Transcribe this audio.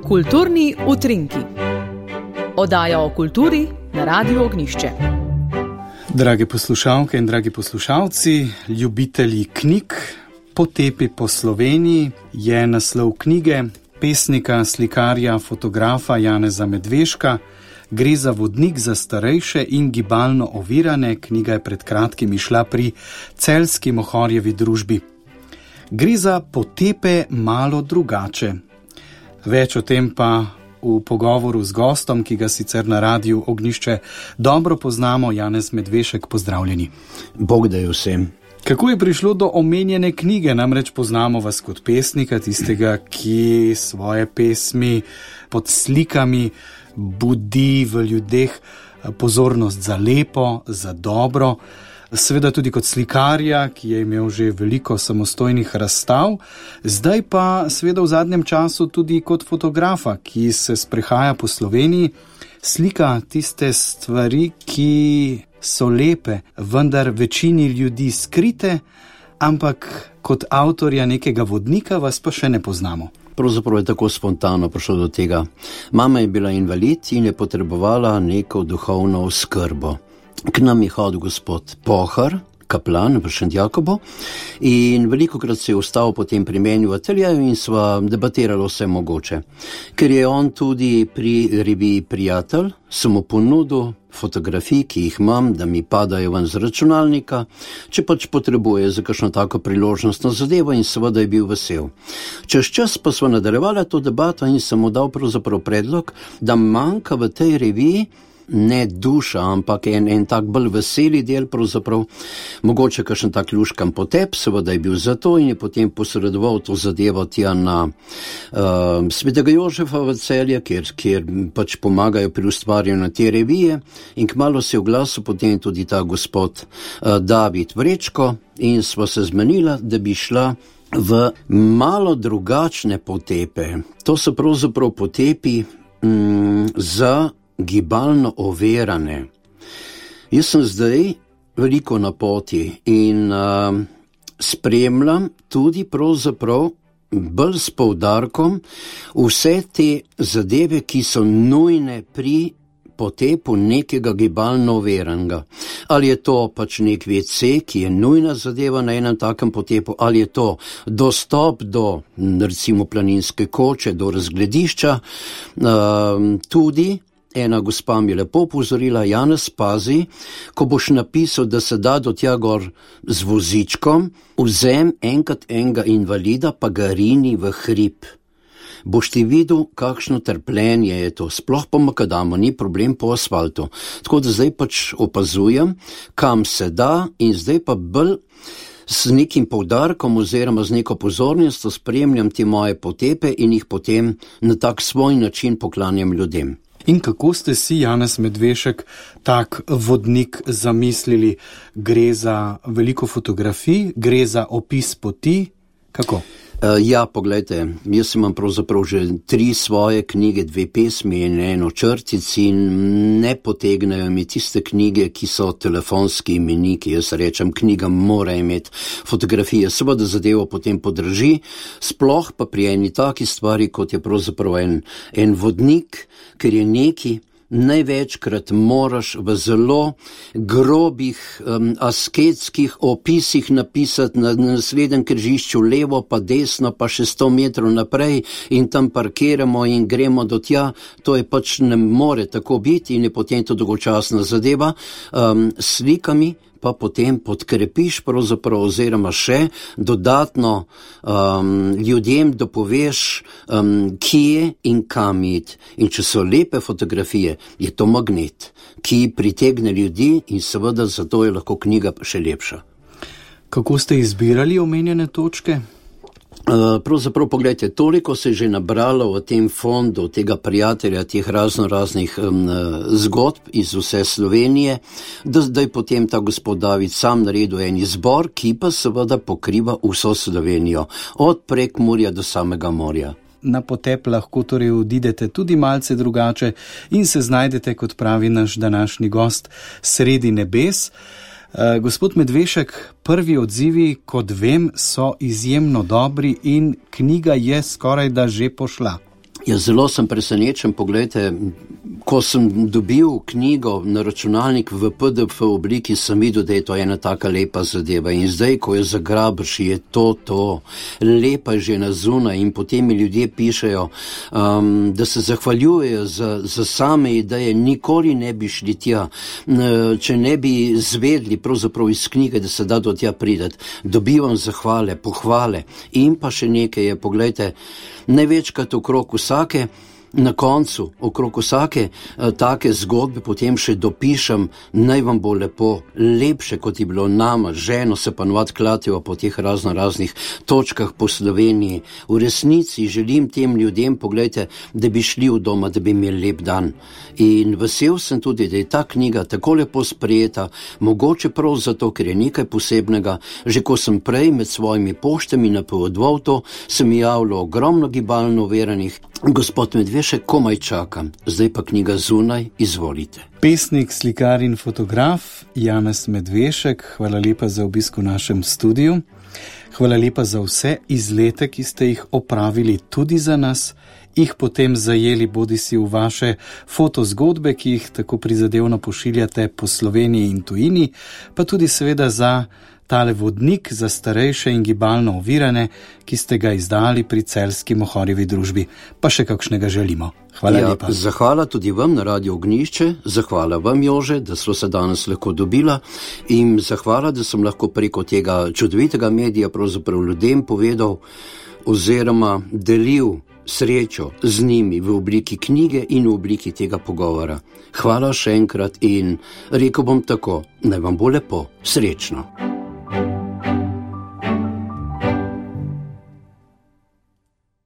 Kulturni utrinki. Oddaja o kulturi na Radiu Ognjišče. Drage poslušalke in dragi poslušalci, ljubitelji knjig, Potepi po Sloveniji je naslov knjige pesnika, slikarja, fotografa Janeza Medveška. Gre za vodnik za starejše in gibalno ovirane. Knjiga je pred kratkim izšla pri Celjski Mohorjevi družbi. Gre za potepe malo drugače. Več o tem pa v pogovoru z gostom, ki ga sicer na Radiu Ognjišče dobro poznamo. Janez Medvešek, pozdravljeni. Bog da je vsem. Kako je prišlo do omenjene knjige? Namreč poznamo vas kot pesnika, tistega, ki svoje pesmi pod slikami budi v ljudeh pozornost za lepo, za dobro. Seveda tudi kot slikarja, ki je imel že veliko samostojnih razstav, zdaj pa seveda v zadnjem času tudi kot fotografa, ki se sprehaja po Sloveniji, slika tiste stvari, ki so lepe, vendar večini ljudi skrite, ampak kot avtorja nekega vodnika vas pa še ne poznamo. Pravzaprav je tako spontano prišlo do tega. Mama je bila invalid in je potrebovala neko duhovno oskrbo. K nam je hodil gospod Pohar, kaplan v Šentjakobu, in velikokrat se je ostal potem pri meni v ateljeju in sva debatirali vse mogoče. Ker je on tudi pri reviji Prijatelj, sem mu ponudil fotografij, ki jih imam, da mi padajo ven z računalnika, če pač potrebuje za kakšno tako priložnostno zadevo, in seveda je bil vesel. Čez čas pa sva nadaljevali to debato in sem mu dal pravzaprav predlog, da manjka v tej reviji ne duša, ampak en tak bolj veseli del pravzaprav, mogoče kakšen tak luškan potep, seveda je bil za to in je potem posredoval to zadevo tja na Svetega Jožefa v Celje, kjer pač pomagajo pri ustvarjanju te revije, in kmalu se je oglasil potem tudi ta gospod David Vrečko in sva se zmenila, da bi šla v malo drugačne potepe. To so pravzaprav potepi za gibalno ovirane. Jaz sem zdaj veliko na poti in spremljam tudi pravzaprav bolj s poudarkom vse te zadeve, ki so nujne pri potepu nekega gibalno oviranega. Ali je to pač nek WC, ki je nujna zadeva na enem takem potepu, ali je to dostop do recimo planinske koče, do razgledišča, tudi ena gospa mi je lepo opozorila: Janez, pazi, ko boš napisal, da se da do tja gor z vozičkom, vzem enkrat enega invalida, pa ga rini v hrib. Boš ti videl, kakšno trpljenje je to, sploh pa makadamo, ni problem po asfaltu. Tako da zdaj pač opazujem, kam se da, in zdaj pa bolj z nekim poudarkom oziroma z neko pozornostjo spremljam te moje potepe in jih potem na tak svoj način poklanjam ljudem. In kako ste si, Janez Medvešek, tak vodnik zamislili? Gre za veliko fotografij, gre za opis poti? Kako? Ja, poglejte, jaz imam pravzaprav že 3 svoje knjige, 2 pesmi in 1 črtic, in ne potegnejo mi tiste knjige, ki so telefonski imeniki. Jaz rečem, knjiga mora imeti fotografije, seveda zadevo potem podrži, sploh pa pri eni taki stvari, kot je pravzaprav en vodnik, ker je neki, največkrat moraš v zelo grobih asketskih opisih napisati na naslednjem križišču levo pa desno pa še 100 metrov naprej in tam parkiramo in gremo do tja. To je pač ne more tako biti in je potem to dolgočasna zadeva. Slikami pa potem podkrepiš pravzaprav oziroma še dodatno ljudem dopoveš, kje in kam iti. In če so lepe fotografije, je to magnet, ki pritegne ljudi, in seveda zato je lahko knjiga še lepša. Kako ste izbirali omenjene točke? Pravzaprav, pogledajte, toliko se je že nabralo v tem fondu tega prijatelja, teh raznih zgodb iz vse Slovenije, da zdaj potem ta gospod David sam naredil en izbor, ki pa seveda pokriva vso Slovenijo, od Prekmurja do samega morja. Na potep lahko torej odidete tudi malce drugače in se znajdete, kot pravi naš današnji gost, sredi nebes. Gospod Medvešek, prvi odzivi, kot vem, so izjemno dobri in knjiga je skoraj da že pošla. Ja, zelo sem presenečen, poglejte, ko sem dobil knjigo na računalnik v PDF obliki, sem videl, da je to ena taka lepa zadeva in zdaj, ko jo zagrabiš, je to, lepa že na zunaj in potem mi ljudje pišejo, da se zahvaljujejo za same ideje, nikoli ne bi šli tja, če ne bi zvedli pravzaprav iz knjige, da se da do tja prideti, dobivam zahvale, pohvale in pa še nekaj je, poglejte, največkrat okrog vsake, na koncu, okrog vsake take zgodbe potem še dopišem, naj vam bo lepo, lepše kot je bilo nama, ženo se pa navad klatijo po teh raznih točkah po Sloveniji. V resnici želim tem ljudem, poglejte, da bi šli v doma, da bi imeli lep dan. In vesel sem tudi, da je ta knjiga tako lepo sprejeta, mogoče prav zato, ker je nekaj posebnega. Že ko sem prej med svojimi poštami napovedoval to, se mi javilo ogromno gibalno oviranih. Gospod Medvešek, komaj čakam, zdaj pa knjiga zunaj, izvolite. Pesnik, slikar in fotograf Janez Medvešek, hvala lepa za obisk v našem studiu. Hvala lepa za vse izlete, ki ste jih opravili tudi za nas, jih potem zajeli bodisi v vaše fotozgodbe, ki jih tako prizadevno pošiljate po Sloveniji in tujini, pa tudi seveda za tale vodnik za starejše in gibalno ovirane, ki ste ga izdali pri Celjski Mohorjevi družbi. Pa še kakšnega želimo. Hvala lepa. Zahvala tudi vam na Radio Ognjišče, zahvala vam, Jože, da smo se danes lahko dobila in zahvala, da sem lahko preko tega čudovitega medija pravzaprav ljudem povedal oziroma delil srečo z njimi v obliki knjige in v obliki tega pogovora. Hvala še enkrat in rekel bom tako, naj vam bo lepo, srečno.